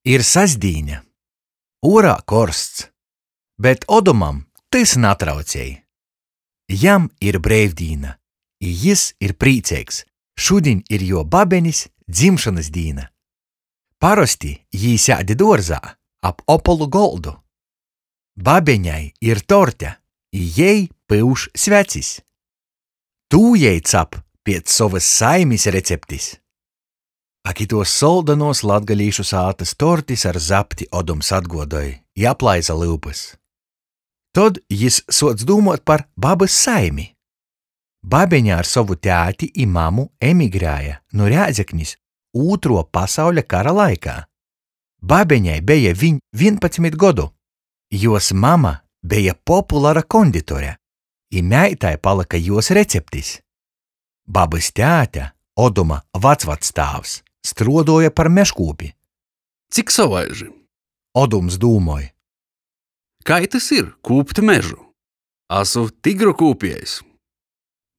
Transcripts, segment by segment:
Ir sastdīne. Uorā korsts, bet Odumam tys natraucej. Jam ir breivdīna, i jis ir prīceigs, šudiņ ir juo babenis dzimšonys dīna. Parosti jī sēd duorzā ap opolu goldu. Babeņai ir torte, i jei pyuš svecis. Tū jei cap piec sovys saimis receptis. Ak, ituos soldonuos latgalīšu sātys tortis ar zapti Odums atguodoj i aplaisa lyupys. Tod jis suoc dūmuot par babys saimi. Babeņa ar sovu tēti i mamu emigrēja nu Rēzeknis Ūtruo pasauļa kara laikā. Babeņai beja viņ 11 godu. Juos mama beja populara konditore, i meitai palyka juos receptis. Babys tēte, Oduma vacvactāvs, struoduoja par mežkūpi. Cik sovaiži! Odums dūmoj. Kai tys ir kūpt mežu? Asu tigru kūpiejs.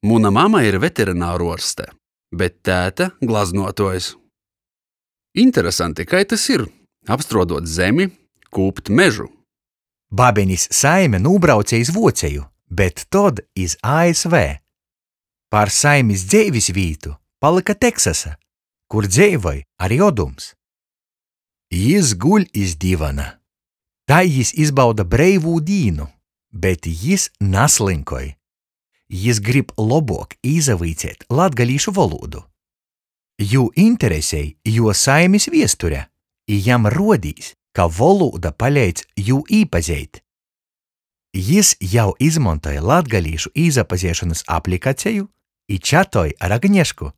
Muna mama ir veterināruorste, bet tēte glaznuotuojs. Interesanti, kai tys ir apstruoduot zemi, kūpt mežu. Babenis saime nūbrauce iz Vuoceju, bet tod iz ASV. Par saimis dzeivis vītu palyka Teksasa, kur dzeivoj ari Odums. Jis guļ iz divana. Tai jis izbauda breivū dīnu, bet jis naslynkoj. Jis grib lobuok īsavuiceit latgalīšu volūdu. Jū interesej juo saimis viesture, i jam ruodīs, ka volūda paleidz jū īpazeit. Jis jau izmontoj latgalīšu īsapazeišonys aplikaceju i čatoj ar Agniešku.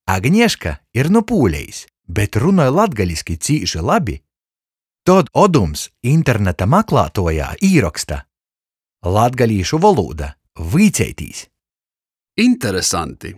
Agnieška ir nu Pūlejis, bet runoj latgaliski cīši labi. Tod Odums interneta maklātuojā īroksta Latgalīšu volūda, vuiceitīs! Interesanti!